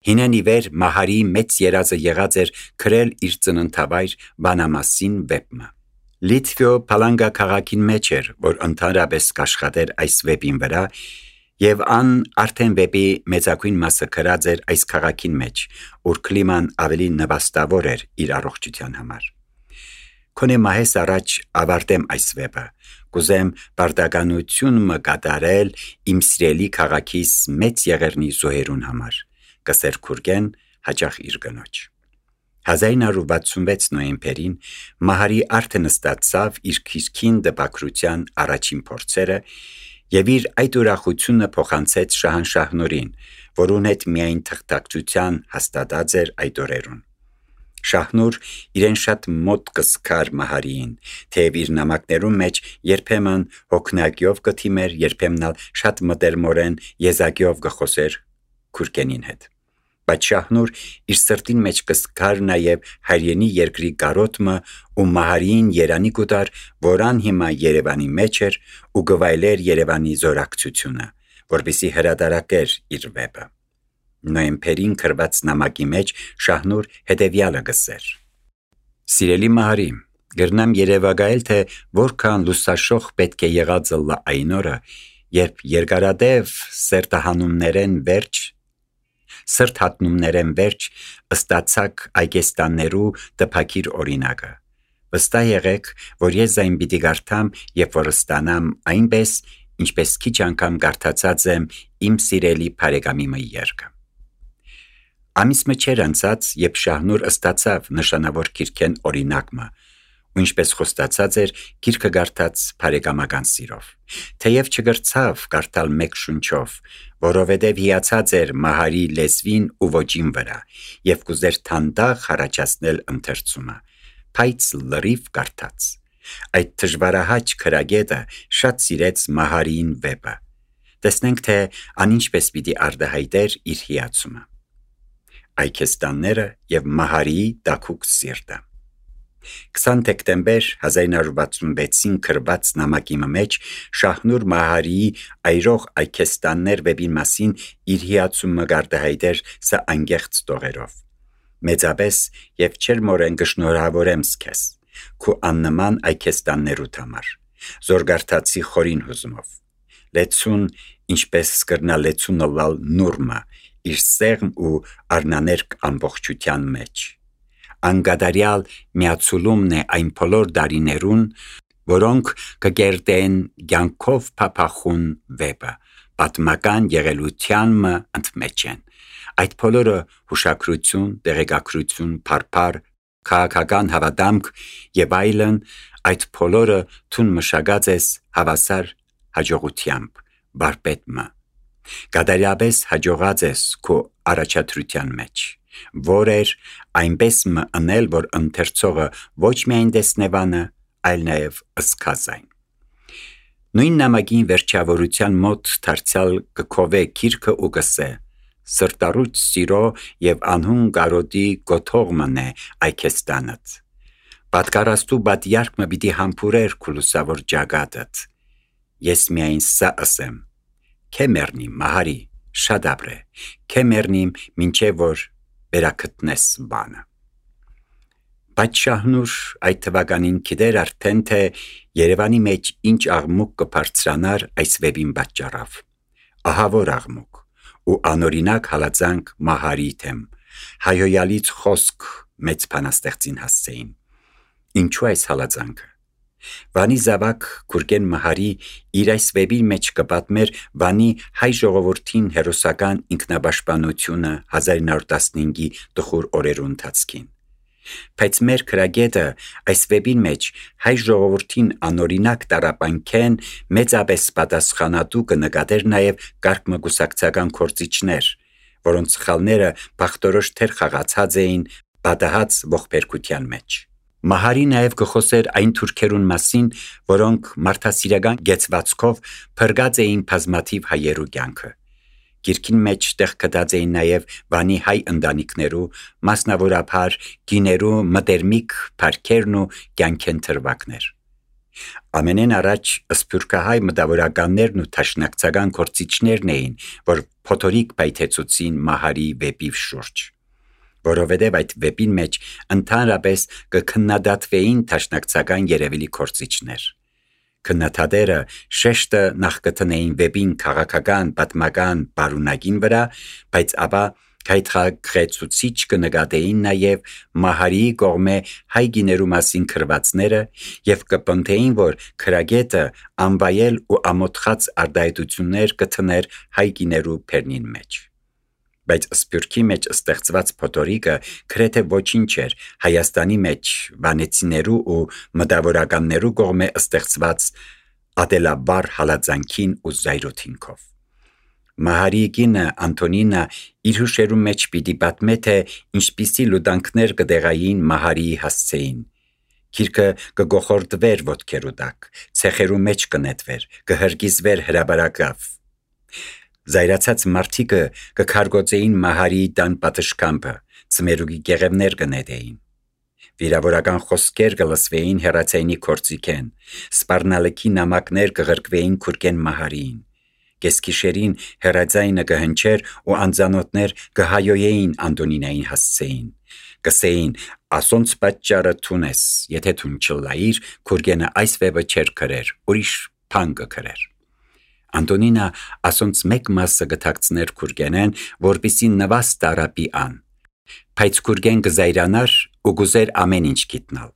Հինեն ի վեր Մահարի մեծ երազը եղած էր քրել իր ծննդավայր Վանամասին վեպը։ Լիտվիո Փալանգա քաղաքին մեջ էր, որ ընդհանրապես կաշխատեր այս վեպին վրա, եւ ան արդեն վեպի մեծագույն մասը գրած էր այս քաղաքին մեջ, ուր կլիման ավելի նվաստավոր էր իր առողջության համար։ Քոնե մահես առաջ ավարտեմ այս վեպը, կուզեմ բարդականություն մը կատարել իմ սիրելի քաղաքիս մեծ եղերնի զոհերուն համար, կսեր Քուրգեն հաճախ իր կնոջ։ 1966 նոյեմբերին Մահարի արդեն ստացավ իր քիրքին դպակրության առաջին փորձերը եւ իր այդ ուրախությունը փոխանցեց Շահանշահնորին, որուն հետ միայն թղթակցության հաստատած էր այդ օրերուն։ Շահնուր իրեն շատ մոտ կսկար Մահարիին, թեև իր նամակներում մեջ երբեմն հոգնակյով կթիմեր, երբեմն շատ մտերմորեն եզակյով կխոսեր Քուրգենին հետ։ Բայց Շահնուր իր սրտին մեջ կսկար նաև հայրենի երկրի կարոտմը ու Մահարիին երանի կուտար, որան հիմա Երևանի մեջ էր ու գվայլեր Երևանի զորակցությունը, որպեսզի հրատարակեր իր վեպը։ Նոյեմբերին գրված նամակի մեջ Շահնուր հետևյալը գսեր. Սիրելի Մահարի, գրնամ երևակայել, թե որքան լուսաշող պետք է եղածը լա այն օրը, երբ երկարադև սրտհատնումներեն վերջ ստացակ այգեստաններու տպակիր օրինակը։ Վստահ եղեք, որ ես այն պիտի կարդամ, երբ որ ստանամ այնպես, ինչպես քիչ անգամ կարդացած եմ իմ սիրելի բարեկամի մը երկը։ Ամիսը չէր անցած, երբ Շահնուր ստացավ նշանավոր քիրքեն օրինակը, ու ինչպես խոստացած էր, քիրքը կարդաց բարեկամական սիրով։ Թեև չգրցավ կարդալ մեկ շունչով, որովհետև հիացած էր Մահարի լեզվին ու ոճին վրա, եւ կուզեր թանդաղ առաջացնել ընթերցումը, բայց լրիվ կարդաց։ Այդ դժվարահաճ քրագետը շատ սիրեց Մահարիին վեպը։ Տեսնենք, թե անինչպես պիտի արտահայտեր իր հիացումը։ Այգեստանները եւ Մահարիի տաքուկ սիրտը։ 20 դեկտեմբեր 1966-ին գրված նամակի մեջ Շահնուր Մահարիի այրող այգեստաններ վեպին մասին իր հիացումը արտահայտեր սա անգեղծ տողերով։ Մեծապես եւ չերմորեն կշնորհավորեմ քեզ, քու աննման այգեստաններուդ համար, զորգարտացի խորին հուզումով։ Լեցուն, ինչպես սկրնա լեցունը լալ նուրմը, իր սեղմ ու արնաներկ ամբողջության մեջ։ Անգադարյալ միացուլումն է այն բոլոր դարիներուն, որոնք կգերտեն կյանքով փափախուն վեպը, պատմական եղելության մը ընդմեջ են։ Այդ բոլորը հուշակրություն, տեղեկագրություն, փարփար, քաղաքական հավատամք եւ այլն, այդ բոլորը թուն մշակած ես հավասար հաջողությամբ, բարպետմը։ Կատարյալապես հաջողած ես քո առաջադրության մեջ, որ էր այնպես մը ընել, որ ընթերցողը ոչ միայն տեսնևանը, այլ նաև ըսկազայն։ Նույն նամակին վերջավորության մոտ դարձյալ կքովե քիրքը ու կսե. սրտառուչ սիրո եւ անհուն կարոտի գոթողմն է այգեստանդ։ Պատկարաստու բատյարկը պիտի համբուրեր քուլուսավոր ջագատդ։ Ես միայն սա ասեմ. Քե մեռնիմ Մահարի, շատ ապրե, քե մեռնիմ մինչև որ վերակտնես բանը։ Բայց Շահնուր այդ թվականին գիտեր արդեն, թե Երևանի մեջ ինչ աղմուկ կբարձրանար այս վեպին պատճառով։ Ահավոր աղմուկ ու անօրինակ հալածանք Մահարի թեմ, հայոյալից խոսք մեծ բանաստեղծին հասցեին։ Ինչու այս հալածանքը։ Վանի զավակ Քուրգեն Մահարի իր այս վեպի մեջ կպատմեր Վանի հայ ժողովրդին հերոսական ինքնապաշտպանությունը 1915-ի տխուր օրերու ընթացքին։ Բայց մեր քրագետը այս վեպի մեջ հայ ժողովրդին անօրինակ տարապանքեն մեծապես պատասխանատու կնկատեր նաև կարգմգուսակցական գործիչներ, որոնց սխալները բախտորոշ թեր խաղացած էին պատահած ողբերգության մեջ։ Մահարի նաև կխոսեր այն թուրքերուն մասին, որոնք մարդասիրական գեցվածքով փրկած էին բազմաթիվ հայերու կյանքը։ Գիրքին մեջ տեղ գտած էին նաև Վանի հայ ընտանիքներու, մասնավորապես գիներու մտերմիկ փառքերն ու կյանքեն թրվակներ։ Ամենեն առաջ սփյուռքահայ մտավորականներն ու թաշնակցական գործիչներն էին, որ փոթորիկ պայթեցուցին Մահարի վեպի շուրջ, որովհետև այդ վեպին մեջ ընդհանրապես կքննադատվեին թաշնակցական երևելի գործիչներ։ Քննադատները շեշտը նախ կտնեին վեպին քաղաքական, պատմական բարունակին վրա, բայց ապա գայթակղեցուցիչ կնկատեին նաև Մահարիի կողմէ հայ գիներու մասին քրվածները եւ կպնդեին, որ քրագետը անվայել ու ամոթխած արտահայտություններ կթներ հայ գիներու բեռնին մեջ։ Բայց սփյուռքի մեջ ստեղծված փոթորիկը գրեթե ոչինչ էր Հայաստանի մեջ վանեցիներու ու մտավորականներու կողմէ ստեղծված ադելաբար հալածանքին ու զայրույթինքով։ Մահարի կինը Անտոնինա իր հուշերու մեջ պիտի պատմե, թե ինչպիսի լուտանքներ կդեղային Մահարիի հասցեին։ Գիրքը կգոխորդվեր ոտքերու տակ, ցեխերու մեջ կնետվեր, կհրկիզվեր հրաբարակավ։ Զայրացած մարդիկը կքարգոծեին Մահարիի տան պատշգամբը, ծմերուկի գեղևներ կնետեին։ Վիրավորական խոսքեր կլսվեին հեռացայինի կորցիկեն, սպառնալիքի նամակներ կղրկվեին քուրկեն Մահարիին։ Կեսգիշերին հեռաձայնը կհնչեր ու անձանոթներ կհայոյեին Անտոնինային հասցեին, կսեին ասոնց պատճառը թունես, եթե թուն չլայիր, քուրգենը այս վեպը չեր գրեր, ուրիշ բան կգրեր։ Անտոնինա ասոնց մեկ մասը կթաքցներ քուրգենեն, որպեսզի նվաստ արապի ան, բայց քուրգեն կզայրանար ու գուզեր ամեն ինչ գիտնալ։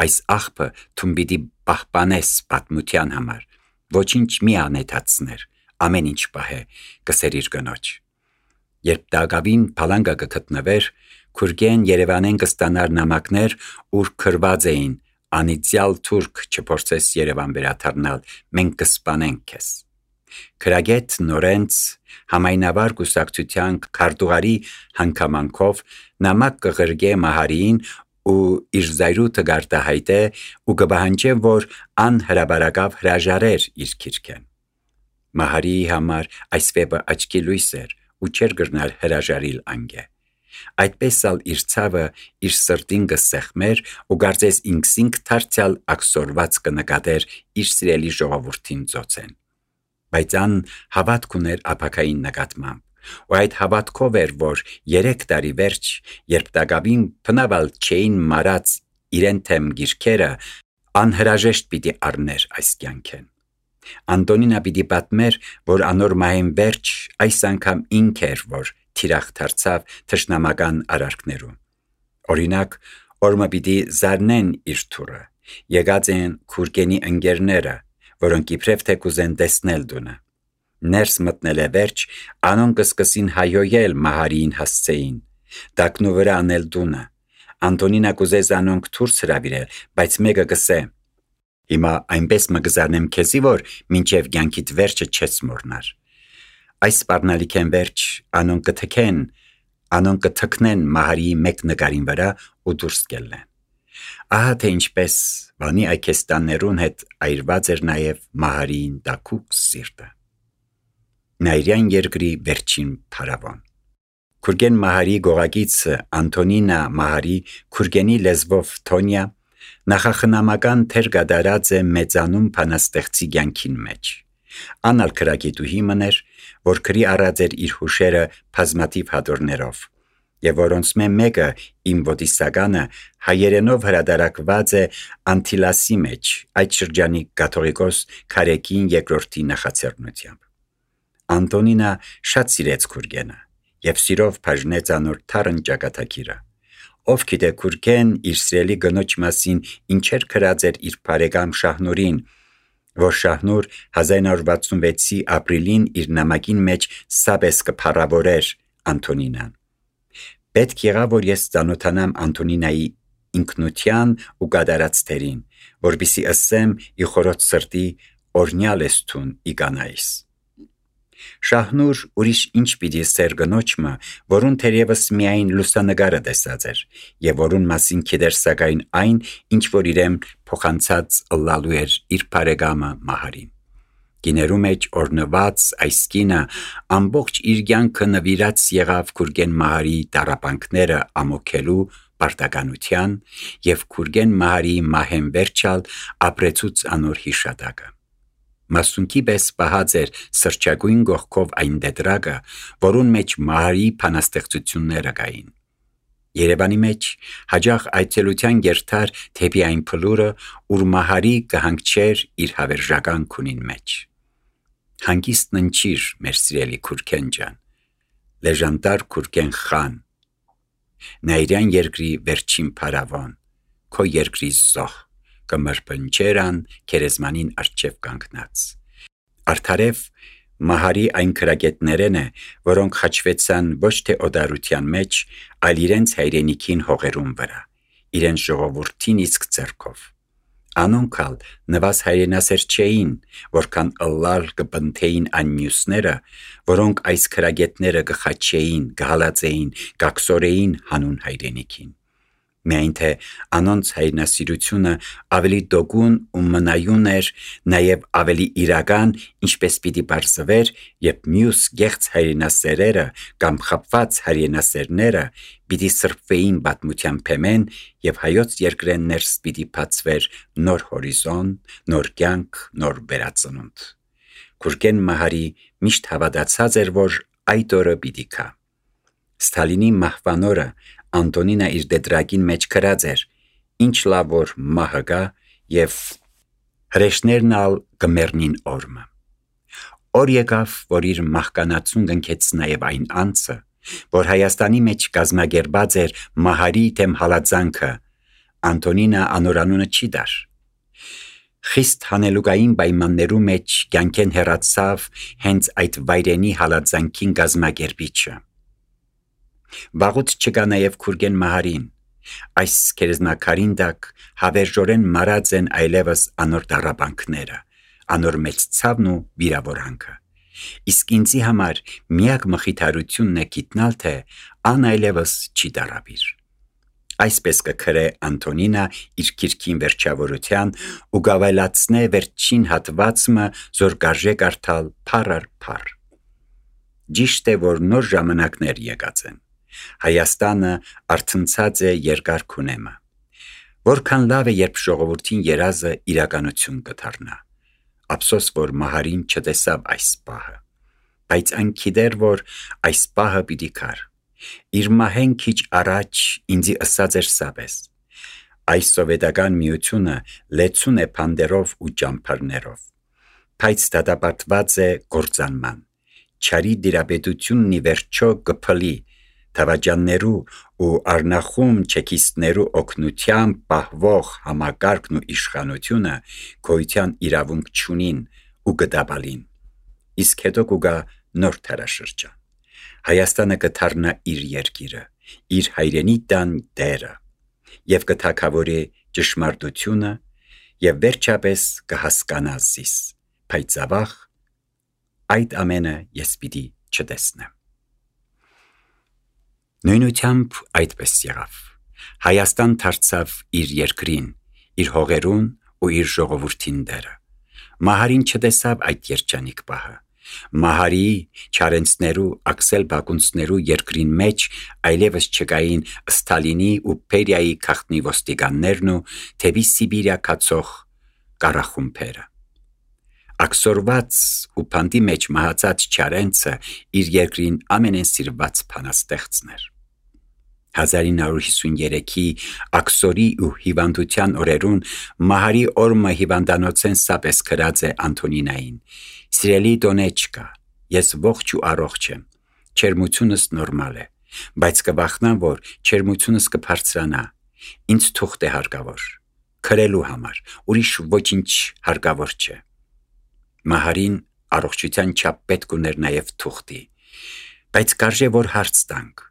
Այս աղբը թուն պիտի պահպանես պատմության համար, ոչինչ մի անետացներ, ամեն ինչ պահե, կսեր իր կնոջ։ Երբ դագավին փալանգը կգտնվեր, քուրգեն Երևանեն կստանար նամակներ, ուր գրված էին անիծյալ թուրք չփորձես Երևան վերադառնալ, մենք կսպանենք քեզ։ Քրագետ Նորենց համայնավար կուսակցության քարտուղարի հանգամանքով նամակ կղրգե Մահարիին ու իր զայրույթը գարտահայտե ու կպահանջե, որ անհրաբարակավ հրաժարեր իր գիրքեն։ Մահարիի համար այս վեպը աչքի լույս էր ու չէր գրնալ հրաժարիլ անգե։ Այդպես ալ իր ցավը իր սրտին կսեղմեր ու կարծես ինքսինք դարձյալ ակսորված կնկատեր իր սիրելի ժողովրդին ծոցեն։ Բայց ան հավատք ուներ ապակային նկատմամբ, ու այդ հավատքով էր, որ 3 տարի վերջ, երբ դագավին փնավալ չէին մարած իրեն թեմ գիրքերը, անհրաժեշտ պիտի առներ այս կյանքեն։ Անտոնինա պիտի պատմեր, որ անոր մահեն վերջ այս անգամ ինք էր, որ թիրախ դարձավ թշնամական արարքներու։ Օրինակ, օրմը պիտի զարնեն իր թուրը, եկած են քուրգենի ընկերները, որոնք իբրև թե կուզեն տեսնել դունը։ Ներս մտնել է վերջ, անոն կսկսին հայոյել Մահարիին հասցեին, դակնու վրա անել դունը։ Անտոնինա կուզես անոնք թուրս հրավիրել, բայց մեկը կսե. Հիմա այնպես մը կզարնեմ քեզի, որ մինչև կյանքիդ վերջը չես մոռնար։ Այս սպառնալիքեն վերջ անոնք կթքնեն Մահարիի մեկ նկարին վրա ու դուրս կելնեն։ Ահա թե ինչպես վանի այքեստաններուն հետ այրված էր նաև Մահարիին դակուկ սիրտը։ Նայրյան երկրի վերջին փարավոն։ Քուրգեն Մահարի գողագիցը Անտոնինա Մահարի քուրգենի լեզվով Թոնյա նախախնամական թեր գդարած է մեծանուն փանաստեղծի կյանքին մեջ։ Անալ քրագետուհի մներ, որ քրի առած էր իր հուշերը բազմաթիվ հատորներով, եւ որոնց մեկը իմ ոտիսականը հայերենով հրադարակված է Անտիլասի մեջ, այդ շրջանի կաթողիկոս Քարեկին երկրորդի նախաձեռնությամբ։ Անտոնինա շատ սիրեց քուրգենը եւ սիրով բաժնեց անոր թարն ճակատագիրը։ Ով գիտե քուրգեն իր սիրելի գնոջ մասին ինչեր գրած էր իր բարեկամ Շահնուրին, որ Շահնուր 1966-ի ապրիլին իր նամակին մեջ սաբես կփառավորեր Անտոնինան։ Պետք եղավ, որ ես ծանոթանամ Անտոնինայի ինքնության ու կատարած թերին, որպեսզի ասեմ ի խորոց սրտի օրնյալ ես թուն ի կանայիս։ Շահնուր ուրիշ ինչ պիտի սեր գնոջը, որուն թերևս միայն լուսանկարը տեսած էր, եւ որուն մասին գիտեր սակայն այն, ինչ որ իրեն փոխանցած ըլլալու էր իր բարեկամը Մահարին։ Գիներու մեջ օրնված այս կինը ամբողջ իր կյանքը նվիրած եղավ քուրգեն Մահարի տառապանքները ամոքելու պարտականության և Քուրգեն Մահարի մահեն վերջալ ապրեցուց անոր հիշատակը։ Մասունքի պես պահած էր սրճագույն գողքով այն դետրակը, որուն մեջ Մահարի փանաստեղծությունները կային։ Երևանի մեջ հաջող այցելության գերթար թեպի այն փլուրը, ուր Մահարի կհանգչեր իր հավերժական քունին մեջ։ Հանգիստ ննչիր, մեր սիրելի Քուրգեն ջան, լեժանդար Քուրգեն խան, նայրյան երկրի վերջին փարավոն, քո երկրի զոհ, կմրպնջերան քերեզմանին արջև կանգնած։ Արդարև Մահարի այն քրագետներն է, որոնք խաչվեցան ոչ թե օդարության մեջ, այլ իրենց հայրենիքին հողերուն վրա, իրենց ժողովրդին իսկ ձեռքով։ Անոնքալ նվազ հայրենասեր չէին, որքան ըլլալ կպնթեին այն մյուսները, որոնք այս քրագետները կխաչեին, կհալածեին, կաքսորեին հանուն հայրենիքին։ Միայն թե անոնց հայրենասիրությունը ավելի դոգուն ու մնայուն էր, նաև ավելի իրական, ինչպես պիտի բարձվեր, երբ մյուս գեղձ հայրենասերերը կամ խապված հայրենասերները պիտի սրբվեին պատմության փեմեն և հայոց երկրեն ներս պիտի բացվեր նոր հորիզոն, նոր կյանք, նոր վերածնունդ։ Քուրգեն Մահարի միշտ հավատացած էր, որ այդ օրը պիտի գա։ Ստալինի մահվան օրը Անտոնինը իր դետրակին մեջ գրած էր. «Ինչ լավ որ մահը գա և հրեշներն ալ կմեռնին օրմը»։ Օր եկավ, որ իր մահկանացուն կնքեց նաև այն անձը, որ Հայաստանի մեջ կազմակերպած էր Մահարի դեմ հալածանքը, Անտոնինը անորանունը չի դար։ Խիստ հանելուկային պայմաններու մեջ կյանքեն հեռացավ հենց այդ վայրենի հալածանքին կազմակերպիչը։ Վաղուց չկա նաև Քուրգեն Մահարին։ Այս քերեզմաքարին տակ հավերժորեն մարած են այլևս անոր տառապանքները, անոր մեծ ցավն ու վիրավորանքը։ Իսկ ինձի համար միակ մխիթարությունն է գիտնալ, թե ան այլևս չի տառապիր։ Այսպես կգրե Անտոնինը իր գիրքին վերջավորության ու գավելացնե վերջին հատվածը, զոր կարժե կարդալ փառ առ փառ։ Ճիշտ է, որ նոր ժամանակներ եկած են։ Հայաստանը արթնցած է երկար քունեմը։ Որքան լավ է, երբ ժողովրդին երազը իրականություն կդառնա։ Ափսոս, որ Մահարին չտեսավ այս պահը, բայց այն գիտեր, որ այս պահը պիտի գար։ Իր մահեն քիչ առաջ ինձի ըսած էր սապես. այս սովետական միությունը լեցուն է փանդերով ու ճամփարներով, բայց դատապարտված է գործանման։ Չարի դիրապետությունն ի վերջո կփլի թավաջաններու ու առնախում չեքիստներու օգնությամբ պահվող համակարգն ու իշխանությունը գոյության իրավունք չունին ու կդաբալին։ Իսկ հետո կուգա նոր թարաշրջան։ Հայաստանը կդառնա իր երկիրը, իր հայրենի տան դերը, և կթագավորի ճշմարտությունը, և վերջապես կհասկանա զիս, բայց ավաղ այդ ամենը ես պիտի չտեսնեմ։ Նույնությամբ այդպես եղավ։ Հայաստան դարձավ իր երկրին, իր հողերուն ու իր ժողովրդին դերը։ Մահարին չտեսավ այդ երջանիկ պահը։ Մահարի, Չարենցներու, Աքսել Բակունցներու երկրին մեջ այլևս չկային Ստալինի ու Բերիայի քաղտնի ոստիկաններն ու թեպի Սիբիրիա կացող կառախումբերը։ Աքսորված ու փանդի մեջ մահացած Չարենցը իր երկրին ամենասիրված փանաստեղծն էր։ 1953-ի աքսորի ու հիվանդության օրերուն Մահարի օրմը հիվանդանոցեն սապես գրած է Անտոնինային. «Սիրելի Դոնեչկա, ես ողջ ու առողջ եմ, չերմությունս նորմալ է, բայց կվախնամ, որ չերմությունս կբարձրանա, ինձ թուղթ է հարկավոր, քրելու համար, ուրիշ ոչինչ հարկավոր չէ»։ Մահարին առողջության չափ պետք ուներ նաև թուղթի, բայց կարժե որ հարց տանք.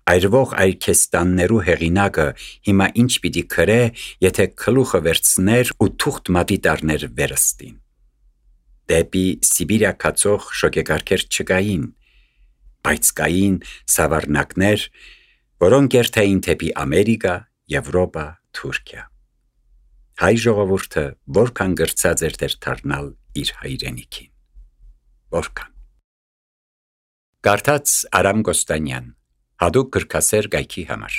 այրվող այրքեստաններու հեղինակը հիմա ինչ պիտի քրե, եթե գլուխը վերցներ ու թուղթ մատի տառներ վերստին։ Դեպի Սիբիրիա կացող շոգեկարգեր չկային, բայց կային սավառնակներ, որոնք երթային թեպի Ամերիկա, Եվրոպա, Թուրքիա։ Հայ ժողովուրդը որքան գրծած էր դառնալ իր հայրենիքին։ Որքան։ Կարդաց Արամ Կոստանյան, հատուկ գրքասեր գայքի համար։